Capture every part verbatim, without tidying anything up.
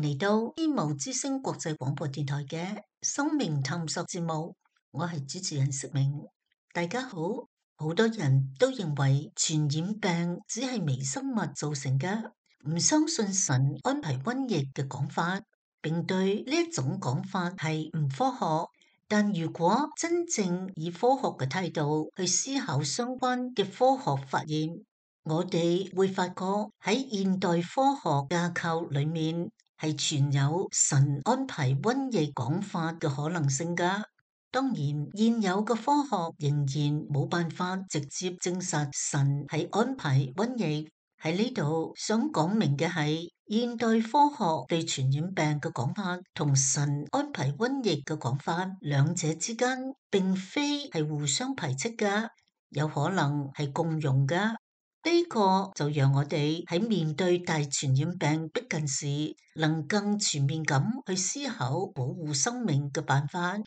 迎嚟到希望之聲國際廣播電台嘅生命探索節目，我係主持人釋明。大家好，好多人都認為傳染病只係微生物造成嘅，唔相信神安排瘟疫嘅講法，並對呢一種講法係唔科學。但如果真正以科學嘅態度去思考相關嘅科學發現，我哋會發覺喺現代科學架構裏面係存有神安排瘟疫講法嘅可能性㗎。當然，現有嘅科學仍然冇辦法直接證實神係安排瘟疫。喺呢度想講明嘅係，現代科學對傳染病嘅講法同神安排瘟疫嘅講法，兩者之間並非係互相排斥㗎，有可能係共融㗎。呢個就讓我哋喺面對大傳染病逼近時，能更全面咁去思考保護生命嘅辦法，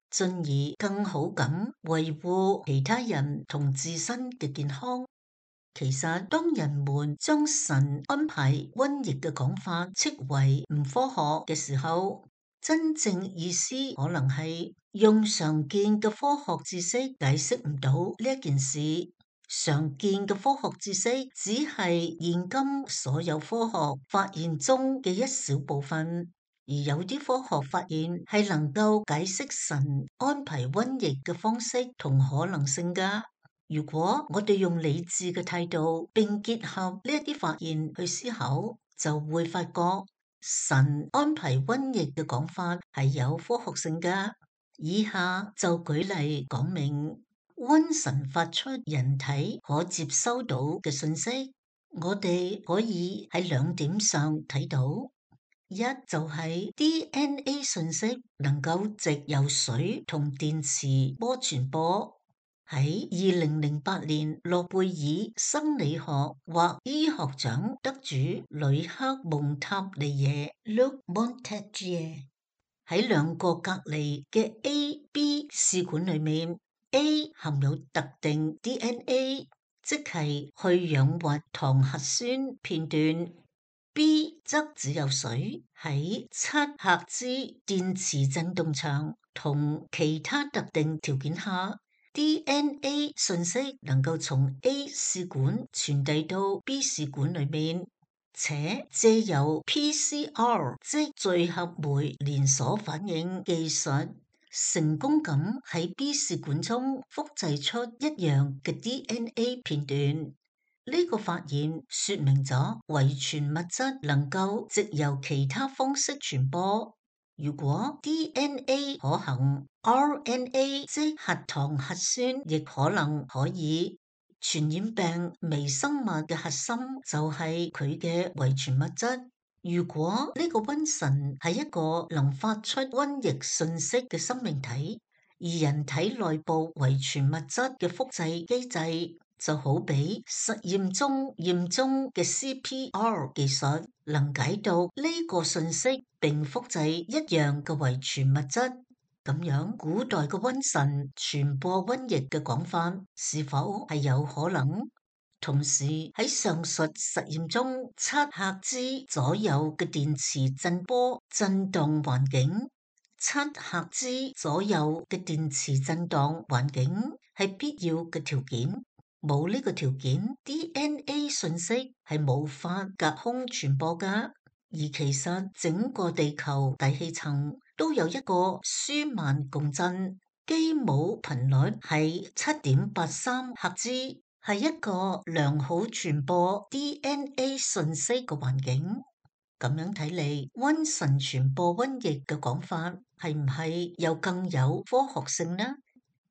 進而更好咁維護其他人同自身嘅健康。其實當人們將神安排瘟疫嘅講法斥為唔科學嘅時候，真正意思可能係用常見嘅科學知識解釋唔到呢一件事。常見嘅科學知識只係現今所有科學發現中嘅一小部分，而有啲科學發現係能夠解釋神安排瘟疫嘅方式同可能性㗎。如果我哋用理智嘅態度並結合呢一啲發現去思考，就會發覺神安排瘟疫嘅講法係有科學性㗎。以下就舉例講明。瘟神發出人體可接收到嘅信息，我哋可以喺兩點上睇到。一就係 D N A 信息能夠藉由水同電磁波傳播。喺二零零八年諾貝爾生理學或醫學獎得主呂克蒙塔尼耶 Luc Montagnier 喺兩個隔離嘅 A、B 試管裏面。A 含有特定 D N A， 即係去氧核糖核酸片段。B 則只有水。喺七赫茲電磁振動場同其他特定條件下， D N A 信息能夠從 A 試管傳遞到 B 試管裏面，且借由 P C R 即聚合酶連鎖反應技術，成功咁喺 B 試管中複製出一樣嘅 D N A 片段。呢個發現說明咗遺傳物質能夠藉由其他方式傳播。如果 D N A 可行， R N A 即核糖核酸亦可能可以。傳染病微生物嘅核心就係佢嘅遺傳物質。如果呢個瘟神係一個能發出瘟疫信息嘅生命體，而人體內部遺傳物質嘅複製機制就好比實驗中驗中嘅 C P R 技術，能解讀呢個信息並複製一樣嘅遺傳物質，咁樣古代嘅瘟神傳播瘟疫嘅講法是否係有可能？同時喺上述實驗中，七赫茲左右嘅電磁振波振動環境，七赫茲左右嘅電磁振動環境係必要嘅條件。冇呢個條件 ，D N A 信息係無法隔空傳播㗎。而其實整個地球大氣層都有一個舒曼共振，基姆頻率係七點八三赫茲。係一個良好傳播 D N A 信息嘅環境。咁樣睇嚟，瘟神傳播瘟疫嘅講法係唔係又更有科學性呢？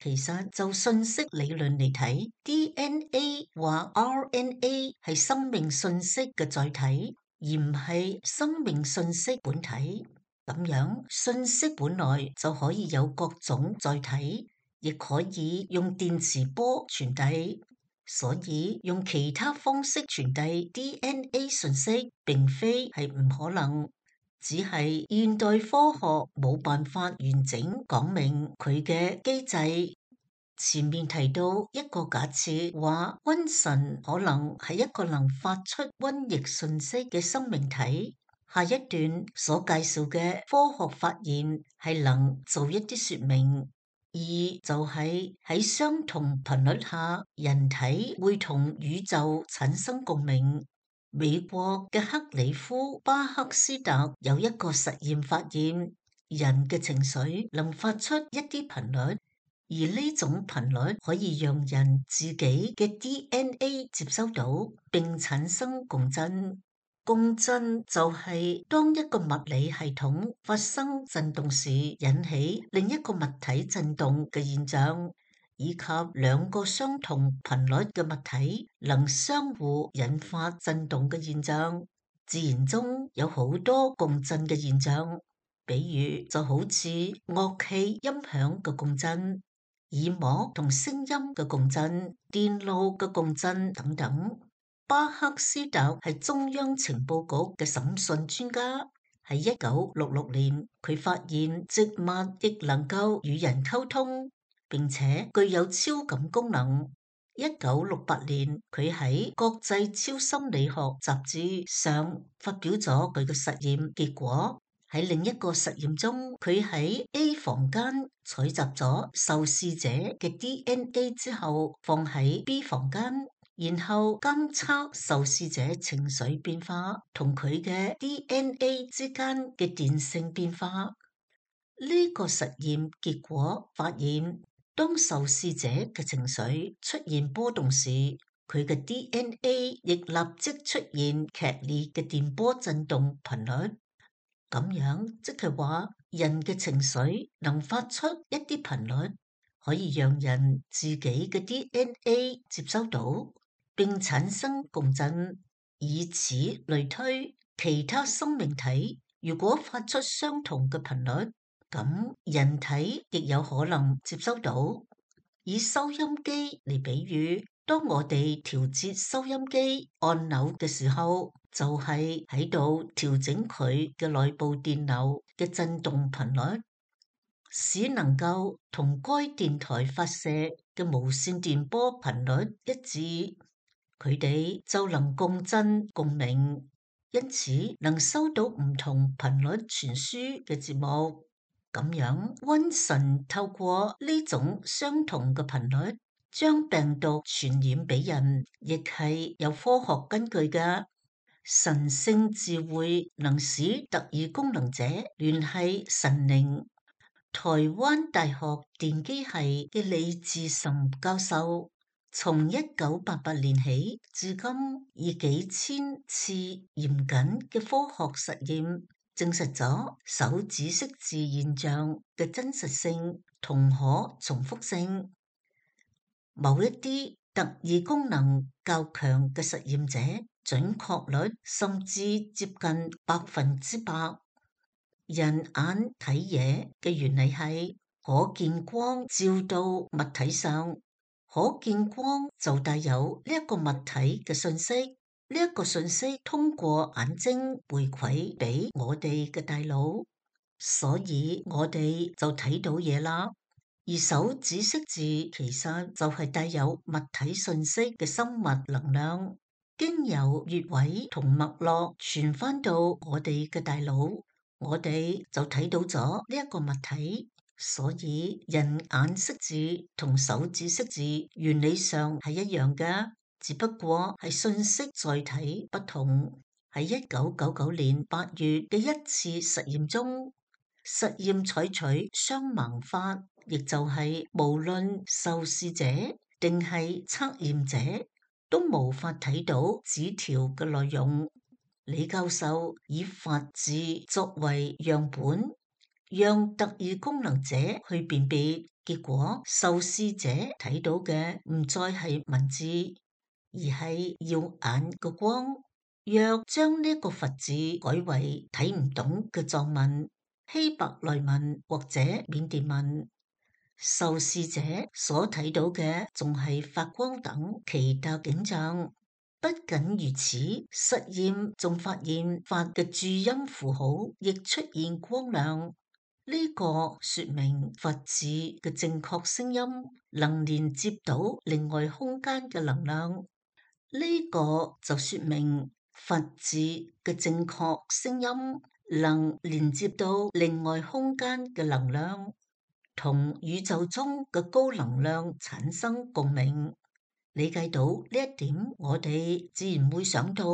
其實就信息理論嚟睇， D N A 或 R N A 係生命信息嘅載體，而唔係生命信息本體。咁樣信息本來就可以有各種載體，亦可以用電磁波傳遞。所以用其他方式傳遞 D N A 信息並非係唔可能，只係現代科學冇辦法完整講明佢嘅機制。前面提到一個假設，話瘟神可能係一個能發出瘟疫信息嘅生命體，下一段所介紹嘅科學發現係能做一啲說明，二就係喺相同頻率下，人體會同宇宙產生共鳴。美國嘅克里夫巴克斯特有一個實驗發現，人嘅情緒能發出一啲頻率，而呢種頻率可以讓人自己嘅 D N A 接收到，並產生共振。共振就係當一個物理系統發生震動時，引起另一個物體震動嘅現象，以及兩個相同頻率嘅物體能相互引發震動嘅現象。自然中有好多共振嘅現象，比如就好似樂器音響嘅共振、耳膜同聲音嘅共振、電路嘅共振等等。巴克斯特係中央情報局嘅審訊專家，喺一九六六年佢發現植物亦能夠與人溝通，並且具有超感功能。一九六八年佢喺國際超心理學雜誌上發表咗佢嘅實驗結果。喺另一個實驗中，佢喺 A 房間採集咗受試者嘅 D N A 之後，放喺 B 房間，然後監測受試者情緒變化同佢嘅 D N A 之間嘅電性變化。呢個實驗結果發現，當受試者嘅情緒出現波動時，佢嘅 D N A 亦立即出現劇烈嘅電波振動頻率。咁樣即係話，人嘅情緒能發出一啲頻率，可以讓人自己嘅 D N A 接收到，並產生共振。以此類推，其他生命體如果發出相同嘅頻率，咁人體亦有可能接收到。以收音機嚟比喻，當我哋調節收音機按鈕嘅時候，就係喺度調整佢嘅內部電流嘅振動頻率，使能夠同該電台發射嘅無線電波頻率一致，佢哋就能共振共鳴，因此能收到唔同頻率傳輸嘅節目。咁樣，瘟神透過呢種相同嘅頻率，將病毒傳染俾人，亦係有科學根據嘅。神聖智慧能使特異功能者聯繫神靈。台灣大學電機系嘅李志岑教授，從一九八八年起至今，以幾千次嚴謹嘅科學實驗，證實咗手指識字現象嘅真實性同可重複性。某一啲特異功能較強嘅實驗者，準確率甚至接近百分之百。人眼睇嘢嘅原理係可見光照到物體上，可見光就帶有呢一個物體嘅信息，呢一個信息通過眼睛回饋俾我哋嘅大腦，所以我哋就睇到嘢啦。而手指識字其實就係帶有物體信息嘅生物能量，經由穴位同脈絡傳翻到我哋嘅大腦，我哋就睇到咗呢一個物體。所以人眼識字同手指識字原理上係一樣嘅，只不過係信息載體不同。喺一九九九年八月嘅一次實驗中，實驗採取雙盲法，亦就係無論受試者定係測驗者都無法睇到紙條嘅內容。李教授以法字作為樣本，讓特異功能者去辨別，結果受試者睇到嘅唔再係文字，而係耀眼嘅光。若將呢個佛字改為睇唔懂嘅藏文、希伯來文或者緬甸文，受試者所睇到嘅仲係發光等奇特景象。不僅如此，實驗仲發現法嘅注音符號亦出現光亮，呢個說明佛字嘅正確聲音能連接到另外空間嘅能量。呢個就說明佛字嘅正確聲音，能連接到另外空間嘅能量，同宇宙中嘅高能量產生共鳴。理解到呢一點，我哋自然會想到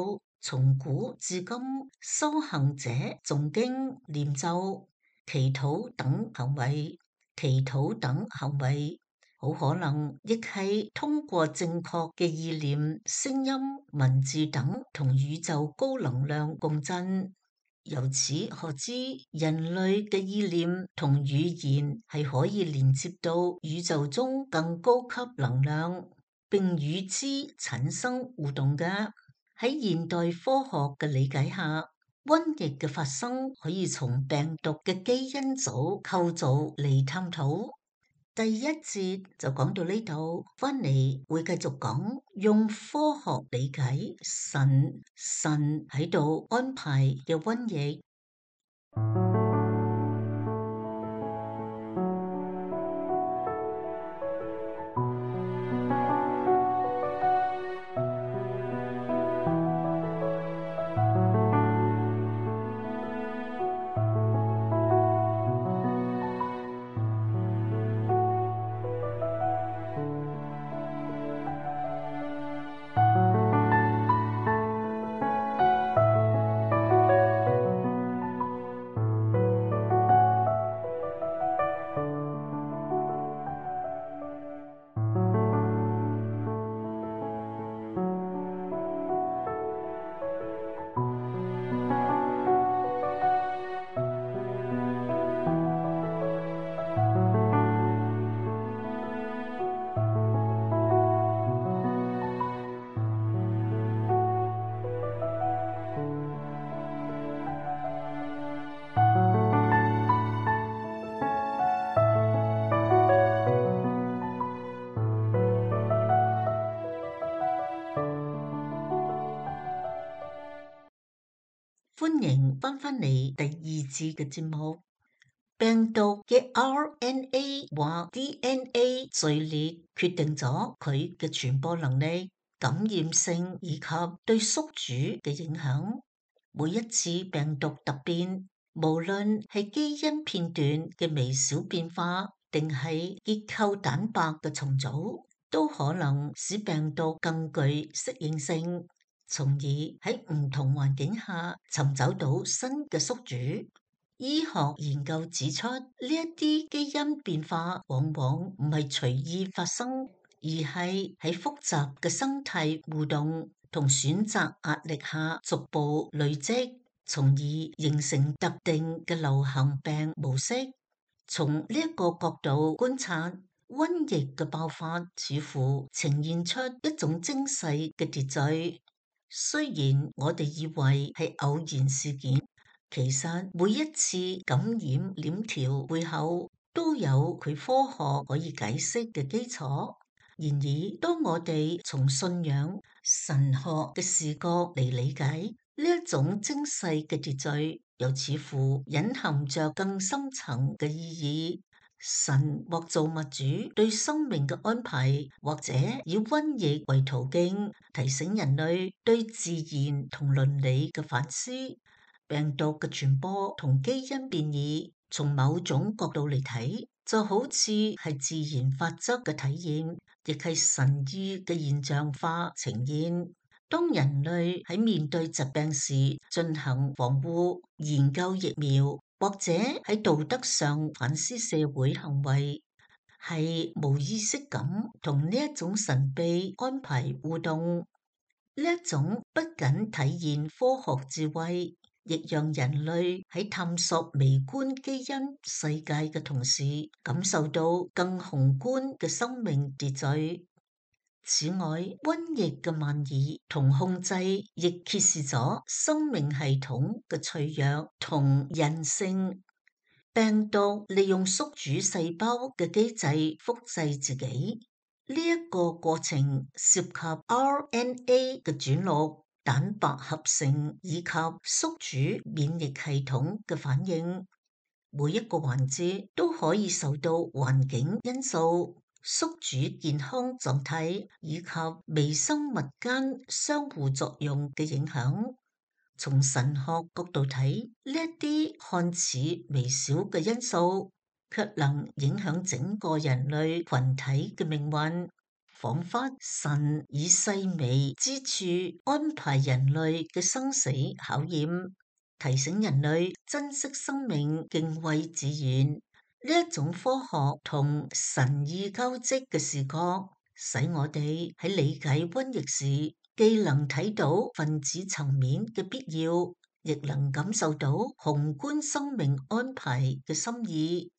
從古至今修行者誦經、念咒、祈禱等行為，祈禱等行為好可能亦係通過正確嘅意念、聲音、文字等同宇宙高能量共振。由此可知，人類嘅意念同語言係可以連接到宇宙中更高級能量，並與之產生互動嘅。喺現代科學嘅理解下，瘟疫嘅發生可以從病毒嘅基因組構造嚟探討。第一節就講到呢度，翻嚟會繼續講，用科學理解神神喺度安排嘅瘟疫。歡迎翻返嚟第二節嘅節目。病毒嘅 R N A 或 D N A 序列決定咗佢嘅傳播能力、感染性以及對宿主嘅影響。每一次病毒突變，無論係基因片段嘅微小變化，定係結構蛋白嘅重組，都可能使病毒更具適應性，從而喺唔同環境下尋找到新嘅宿主。醫學研究指出，呢一啲基因變化往往唔係隨意發生，而係喺複雜嘅生態互動同選擇壓力下逐步累積，從而形成特定嘅流行病模式。從呢一個角度觀察，瘟疫嘅爆發似乎呈現出一種精細嘅秩序。雖然我哋以為係偶然事件，其實每一次感染鏈條背後都有佢科學可以解釋嘅基礎。然而，當我哋從信仰、神學嘅視角嚟理解呢一種精細嘅秩序，又似乎隱含着更深層嘅意義。神或造物主對生命嘅安排，或者以瘟疫為途徑，提醒人類對自然同倫理嘅反思。病毒嘅傳播同基因變異，從某種角度嚟睇，就好似係自然法則嘅體現，亦係神意嘅現象化呈現。當人類喺面對疾病時進行防護、研究疫苗，或者喺道德上反思社會行為，係無意識咁同呢一種神秘安排互動。呢一種不僅體現科學智慧，亦讓人類喺探索微觀基因世界嘅同時，感受到更宏觀嘅生命秩序。此外，瘟疫嘅蔓延同控制，亦揭示咗生命系統嘅脆弱同韌性。病毒利用宿主細胞嘅機制複製自己，呢一個過程涉及 R N A 嘅轉錄、蛋白合成以及宿主免疫系統嘅反應。每一個環節都可以受到環境因素，宿主健康狀態以及微生物間相互作用嘅影響。從神學角度睇，呢一啲看似微小嘅因素，卻能影響整個人類群體嘅命運。仿佛神以細微之處安排人類嘅生死考驗，提醒人類珍惜生命、敬畏自然。呢一種科學同神意交織嘅視覺，使我哋喺理解瘟疫時，既能睇到分子層面嘅必要，亦能感受到宏觀生命安排嘅心意。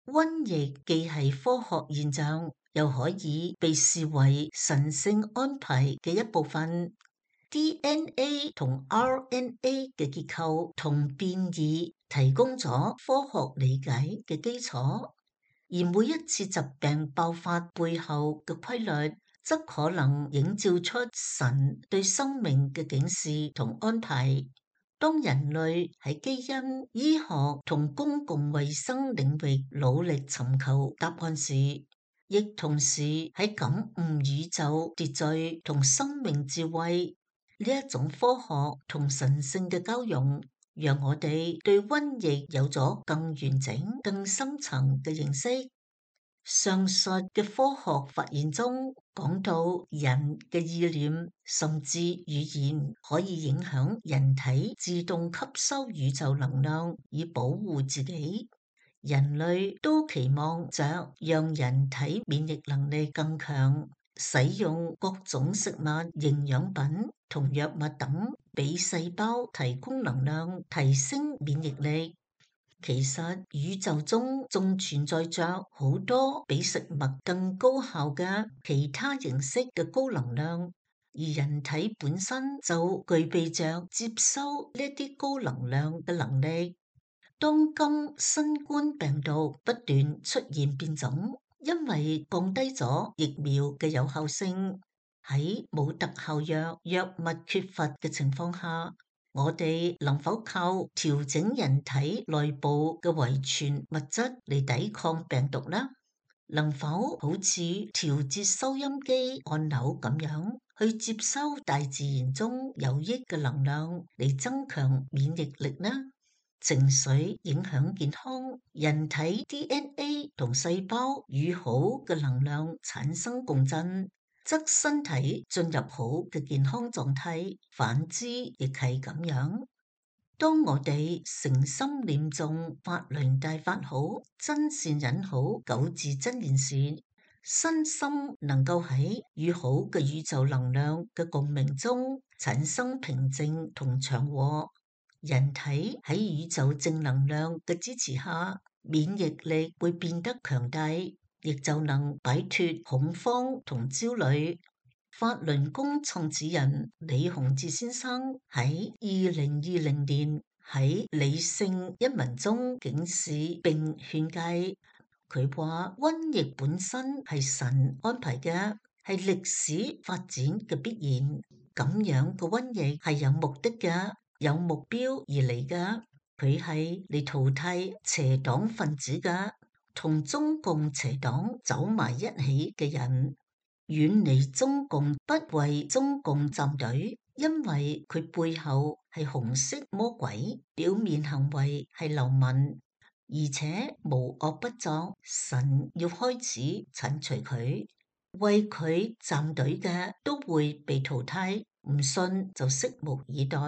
瘟疫既係科學現象，又可以被視為神聖安排嘅一部分。D N A 同 R N A 嘅結構同變異提供咗科學理解嘅基礎，而每一次疾病爆發背後嘅規律，則可能映照出神對生命嘅警示同安排。當人類喺基因、醫學同公共衛生領域努力尋求答案時，亦同時喺感悟宇宙秩序同生命智慧。呢一種科學同神聖嘅交融，讓我哋對瘟疫有咗更完整、更深層嘅認識。上述嘅科學發現中講到人嘅意念甚至語言可以影響人體自動吸收宇宙能量以保護自己。人類都期望着讓人體免疫能力更強，使用各種食物、營養品同藥物等，俾細胞提供能量，提升免疫力。其實宇宙中仲存在着好多比食物更高效嘅其他形式嘅高能量，而人體本身就具備着接收呢啲高能量嘅能力。當今新冠病毒不斷出現變種，因為降低咗疫苗嘅有效性，喺冇特效藥、藥物缺乏嘅情況下，我哋能否靠調整人體內部嘅遺傳物質嚟抵抗病毒呢？能否好似調節收音機按鈕咁樣，去接收大自然中有益嘅能量嚟增強免疫力呢？情緒影響健康，人體 D N A 同細胞與好嘅能量產生共振，則身體進入好嘅健康狀態，反之亦係咁樣。當我哋誠心念誦法輪大法好，真善忍好，九字真言時，身心能夠喺與好嘅宇宙能量嘅共鳴中產生平靜同祥和。人體喺宇宙正能量嘅支持下，免疫力會變得強大，亦就能擺脫恐慌同焦慮。法輪功創始人李洪志先生喺二零二零年喺理性一文中警示並勸誡，佢話瘟疫本身係神安排嘅，係歷史發展嘅必然。咁樣嘅瘟疫係有目的嘅，有目標而嚟嘅，佢係嚟淘汰邪黨分子嘅，同中共邪黨走埋一起嘅人。遠離中共，不為中共站隊，因為佢背後係紅色魔鬼，表面行為係流氓，而且無惡不作。神要開始鏟除佢，為佢站隊嘅都會被淘汰，唔信就拭目以待。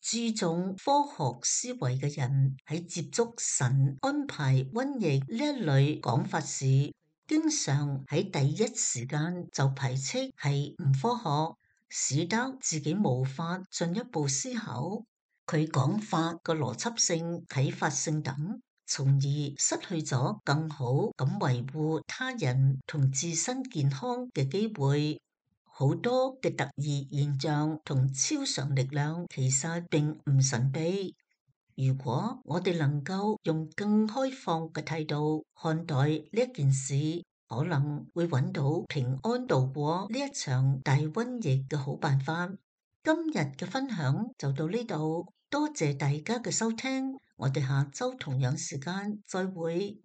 注重科學思維嘅人喺接觸神安排瘟疫呢一類講法時，經常喺第一時間就排斥係唔科學，使得自己無法進一步思考佢講法嘅邏輯性、啟發性等，從而失去咗更好咁維護他人同自身健康嘅機會。好多嘅特異現象同超常力量其實並唔神秘。如果我哋能夠用更開放嘅態度看待呢一件事，可能會揾到平安度過呢一場大瘟疫嘅好辦法。今日嘅分享就到呢度，多謝大家嘅收聽，我哋下周同樣時間再會。